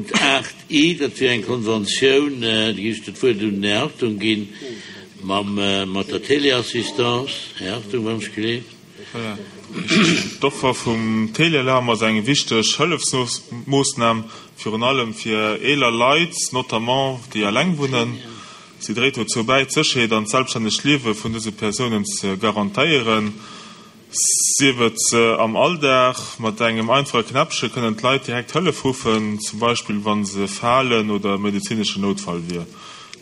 Punkt 8 i, dat wier eng Konventioun, da géif ech dat Wuert un den Här Hartung ginn, mam, mat der Téléassistance. Här Hartung, wann ech gleef. Voilà. D'Offer vum Téléalarm ass eng wichteg Hëllefsmoossnam, virun allem fir eeler Leit, notamment déi eleng wunnen. Si dréit dozou bäi, d'Sécherheet an d'selbststännegt Liewe vun dëse Persounen ze garantéieren. Sief et am Alldag, mat engem einfache Knäppche kënnen d'Leit direkt Hëllef ruffen, zum Beispill wa se falen oder e medezineschen Noutfall wier.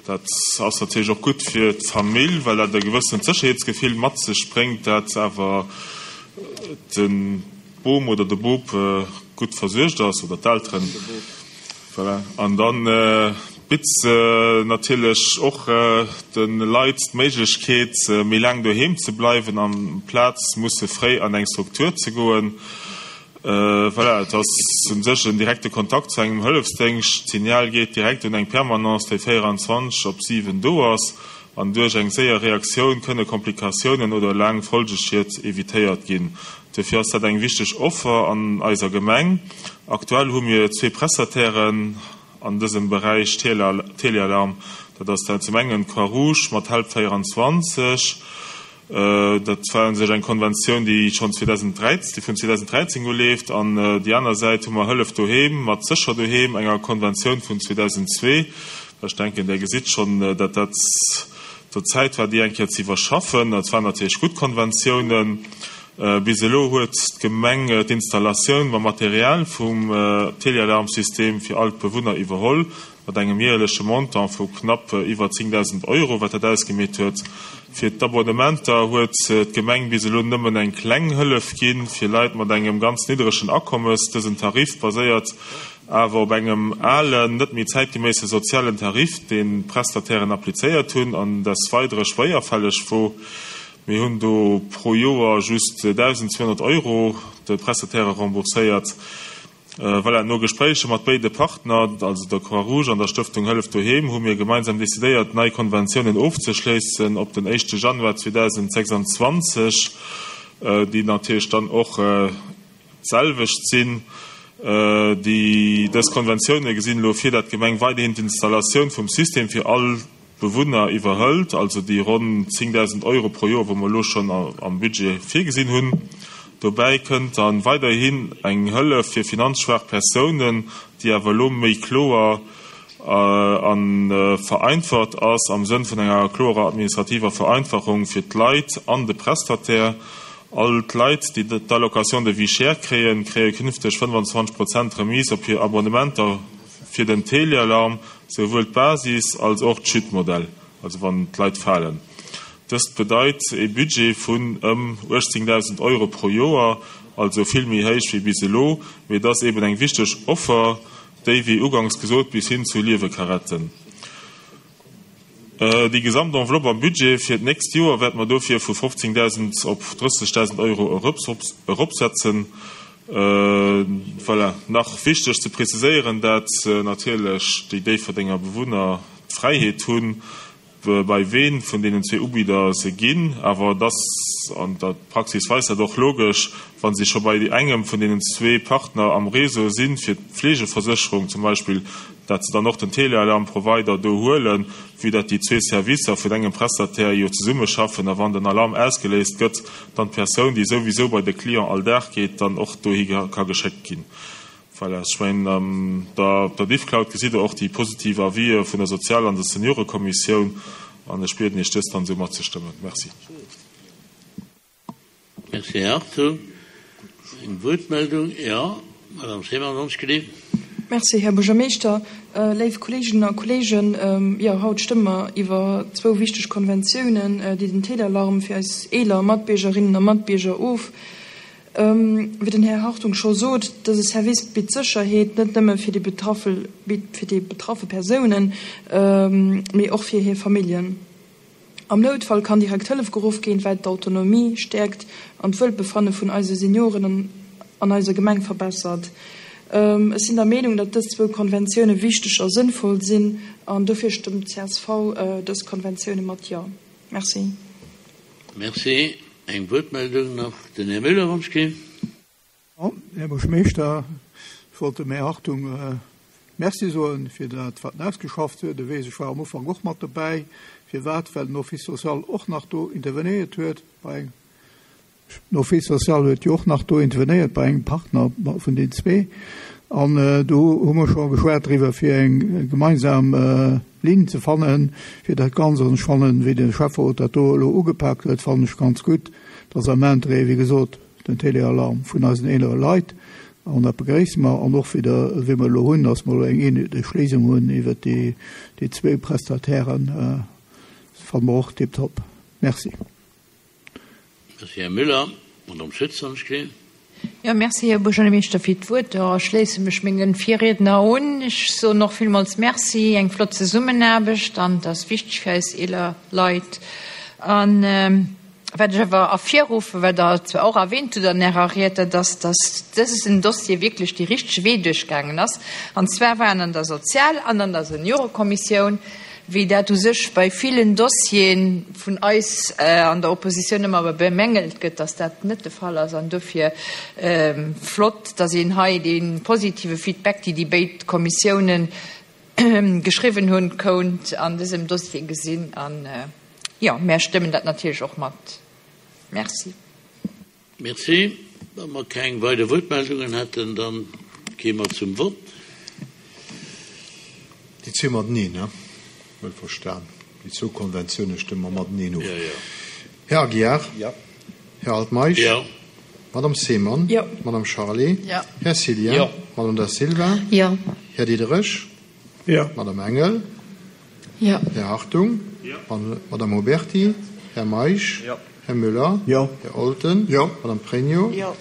Dat ass natierlech och gutt fir d'Famill, well dat e gewëssent Sécherheetsgefill mat sech bréngt, dat awer de Bom oder de Bop gutt versuergt ass oder d'Elteren. Voilà. An da bitt se natierlech och de Leit d'Méiglechkeet, méi laang doheem ze bleiwen, amplaz musse fréi an eng Struktur ze goen. Voilà, et ass u sech en direkte Kontakt zu engem Hëllefsdéngscht. D'Signal geet direkt un eng Permanence, déi 24 op 7 do ass. An duerch eng séier Reaktioun kënne Komplikatiounen oder laang Folgeschied evitéiert ginn. Dofir ass dat eng wichteg Offer an eiser Gemeng. Aktuell hu mir zwee Prestatairen an dësem Beräich Telealarm. Dat ass dat zum engen d'Croix Rouge mat Help 24. Dat war u sech eng Konventioun, déi schonn 2013, déi vun 2013 u leeft. An déi aner Säit hu mer Hëllef Doheem mat Sécher Doheem, enger Konventioun vun 2002. Ech denken, Der gesitt schonn, datt dat do Zäit war, déi eng Kéier ze iwwerschaffen. Et waren natierlech gutt Konventiounen. Bis elo huet d'Gemeng d'Installatioun mam Material vum Telealarmsystem fir all d'Bewunner iwwerholl, mat engem jäerleche Montant vu knapp iwwer 10.000 Euro, wat dat ausgemeet huet. Fir d'Abonnementer huet d'Gemeng bis elo nëmmen eng kleng Hëllef ginn, fir Leit mat engem ganz niddregen Akommes. Dësen Tarif baséiert awer op engem alen, net méi zäitgeméisse sozialen Tarif, deen d'Prestatairen applizéiert hunn an des Weidere schwéierfälleg wor. Mir hunn do pro Joer just 1.200 Euro de Prestataire rembourséiert. Voilà, no Gespréicher mat béide Partner, also der Croix-Rouge an der Stëftung Hëllef Doheem, hu mir gemeinsam decidéiert, nei Konventiounen ofzeschléissen op den éischte Januar 2026, déi natierlech dann och D'selwecht sinn. Déi dës Konventioune gesinn elo vir, dat d'Gemeng weiderhin d'Installatioun vum System fir all d'Bewunner iwwerhëlt, also déi ronn 10.000 Euro pro Joer, wou mer elo schonn am Budget virgesinn hunn. Dobäi kënnt da weiderhin eng Hëllef fir finanzschwaach Persounen, déi awer elo méi kloer a vereinfacht ass, am Sënn vun enger klorer administrativer Vereinfachung fir d'Leit an de Prestataire. All d'Leit, déi d'Allocation de vie chère kréien, kréie künfteg 25 Prozent Remise op hir Abonnementer fir den Telealarm, souwuel d'Basis als och d'Chute-Modell, also wann d'Leit falen. Dëst bedeit ee Budget vun ëm 18.000 Euro pro Joer, also vill méi héich wéi bis elo, mee et ass eben eng wichteg Offer, déi, wéi uganks gesot, bis hin zu Liewe ka retten. Déi gesamt Enveloppe am Budget fir d'nächst Joer wäerte mer dofir vu 15.000 op 30.000 Euro eropsetzen. Voilà. Nach wichteg ze preziséieren, dat natierlech déi Déifferdenger Bewunner d'Fräiheet hunn, bei ween vun deenen zwee Ubidder se ginn. Awer et ass, an der Praxis weist dat och, logesch, wa si scho bei engem vun deenen zwee Partner am Réseau sinn, fir d'Fleegeversécherung zum Beispill, dat se dann och den Telealarm-Provider do huelen, vue dat déi zwee Servicer vun engem Prestataire jo zesummeschaffen a wann den Alarm ausgeléist gëtt, dann d'Persoun, déi souwisou bei de Client all Dag geet, dann och dohi ka geschéckt ginn. Voilà, ech mengen, an der, op der Diffcloud gesitt Der och déi positiv Avisë vun der Sozial an der Seniorekommissioun an ech bieden Iech, dës dann esou matzestëmmen. Merci. Merci, Här Hartung. Eng Wuertmeldung? Jo, Madame Seemann, ons gelift. Merci, Här Buergermeeschter. Léif Kolleeginnen a Kolleegen, jo, haut stëmme mer iwwer zwou wichteg Konventiounen, déi den Téléalarm fir eis eeler Matbiergerinnen a Matbierger of. Wéi den Här Hartung scho sot, dëse Service bitt Sécherheet, net nëmme fir déi betraffe, fir déi betraffe Persounen, mee och fir hir Familljen. Am Noutfall kann direkt Hëllef geruff ginn, wat d'Autonomie stäerkt an d'Wuelbefanne vun eise Senioren an eiser Gemeng verbessert. Ech sinn der Meenung, datt dës zwou Konventioune wichteg a sënnvoll sinn an dofir stëmmt csv dës Konventioune mat Jo. Merci. Merci. Eng Wuertmeldung nach, den Här Müller, wann ech ginn. Här Buergermeeschter, ech wollt dem Här Hartung. Merci soen fir dat, wat en ausgeschafft huet. E weess, ech war am Ufank och mat dobäi. Firwat? Well den Office social och nach do intervenéiert huet bei engem. Den Office social huet jo och nach do intervenéiert bei engem Partner vun den zwee. An do hu mer scho geschwat driwwer, fir eng gemeinsam Linn ze fannen, fir dat Ganzt. An ech fannen, wéi de Schäfferot dat do elo ugepaakt huet, fannen ech ganz gutt. Dat ass am Interêt, wéi gesot, den Téléalarm vun eisen eelere Leit. An dat begréisse mer. An och wéi der, wéi mer elo hunn, dass mer elo eng eenheetlech Léisung hunn iwwert déi, déi zwee Prestatairen, fanne mer och tiptop. Merci. Merci, Här Müller. Madame Schütz, wann ech gesinn. Jo, merci, Här Buergermeeschter, fir d'Wuert. Jo, ech schléisse mech menge Virriedner un. Ech soen och villmools Merci. Eng flott Zesummenaarbecht an et ass wichteg fir eis eeler Leit. An wat ech awer ervirruffen, wat Der zwar och erwähnt hutt an Ärer Ried, dat ass, dass dësen Dossier wierklech dee richtege Wee duerchgaangen ass, an zwar war en an der Sozial an an der Seniorekommissioun, wéi dat u sech bei villen Dossiere vun eis an der Oppositioun ëmmer bemängelt gëtt, dass dat net de Fall ass. An dofir flott, dass een hei dee positive Feedback, déi déi béid Kommissiounen geschriwwen hunn, kount an dësem Dossier gesinn. An jo, mär stëmmen dat natierlech och mat. Merci. Merci. Wa mer keng weider Wuertmeldungen hätten, da gi mer zum Vott. Déi zwee mateneen, he? Wuel verstan. Déi zwou Konventioune stëmme mer mateneen of. Här Aguiar? Jo. Här Altmeisch? Jo. Madame Seemann? Jo. Madame Charlé? Jo. Här Cillien? Jo. Madame Da Silva? Jo. Här Diderich? Jo. Madame Engel? Jo. Här Hartung? Jo. Madame Oberti? Här Meisch? Jo. Här Müller? Jo. Här Olten? Jo. Madame Pregno? Jo.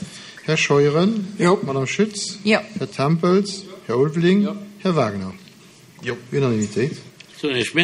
Här Scheuren? Jo. Madame Schütz? Jo. Här Tempels? Jo. Här Ulveling? Jo. Här Wagner? Jo. Unanimitéit. Soen Iech Merci.